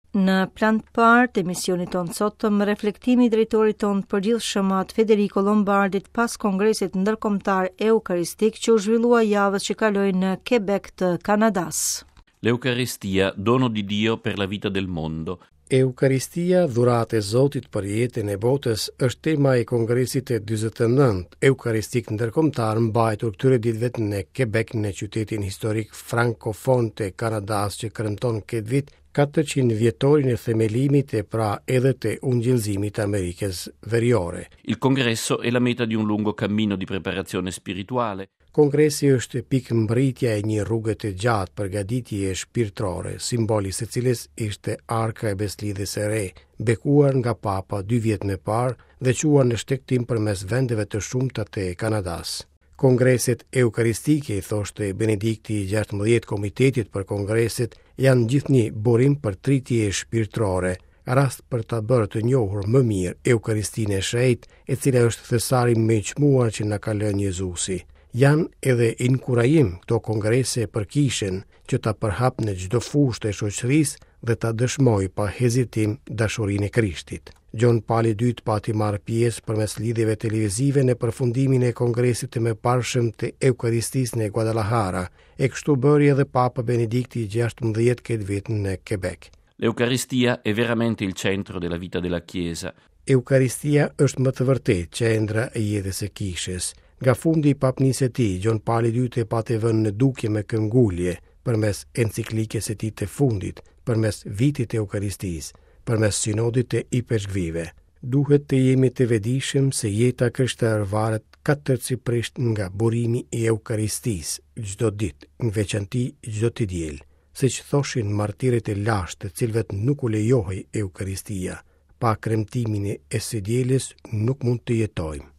Në plan të parë të emisionit tonë të sotëm, reflektimi i drejtorit tonë të përgjithshëm At Federico Lombardit pas Kongresit Ndërkombëtar Eukaristik që u zhvillua javës që kaloi në Quebec të Kanadas. L'Eucaristia, dono di Dio per la vita del mondo. Eukaristia, dhuratë e Zotit për jetën e botës, është tema e Kongresit të 49 Eukaristik Ndërkombëtar mbajtur këtyre ditëve në Quebec në qytetin historik frankofon të Kanadas që kremton këtë vit 400 vjetorin e themelimit e pra edhe të ungjillëzimit të Amerikës Veriore. Il congresso è la meta di un lungo cammino di preparazione spirituale. Kongresi është pikëmbërritja e një rruge të gjatë përgatitjeje shpirtërore, simbol i së cilës ishte Arka e Besëlidhjes së Re, bekuar nga Papa dy vjet më parë dhe çuar në shtegtim përmes vendeve të shumta të Kanadas. Kongreset eukaristike, i thoshte Benedikti i 16 Komitetit për Kongreset, janë gjithnjë burim përtëritjeje shpirtërore, rast për ta bërë të njohur më mirë Eukaristinë e Shenjtë, e cila është thesari më i çmuar që na ka lënë Jezusi. Janë edhe inkurajim këto kongrese për kishën që ta përhapë në çdo fushë të shoqërisë dhe ta dëshmojë pa hezitim dashurinë e Krishtit. Gjon Pali i Dytë pati marrë pjesë përmes lidhjeve televizive në përfundimin e kongresit të mëparshëm të Eukaristisë në Guadalajara, e kështu bëri edhe Papa Benedikti i 16 këtë vit në Quebec. L'Eucaristia è veramente il centro della vita della Chiesa. Eukaristia është me të vërtetë qendra e jetës së kishës. Nga fundi i papnisë së tij, Gjon Pali i Dytë e pati vënë në dukje me këmbëngulje, përmes enciklikës së tij të fundit, përmes vitit të Eukaristisë, përmes sinodit të ipeshkvijve. Duhet të jemi të vetëdijshëm se jeta e krishterë varet katërcipërisht nga burimi i Eukaristisë, çdo ditë, në veçanti çdo të diel. Siç thoshin martirët e lashtë të cilëve nuk u lejohej Eukaristia, pa kremtimin e së dielës nuk mund të jetojmë.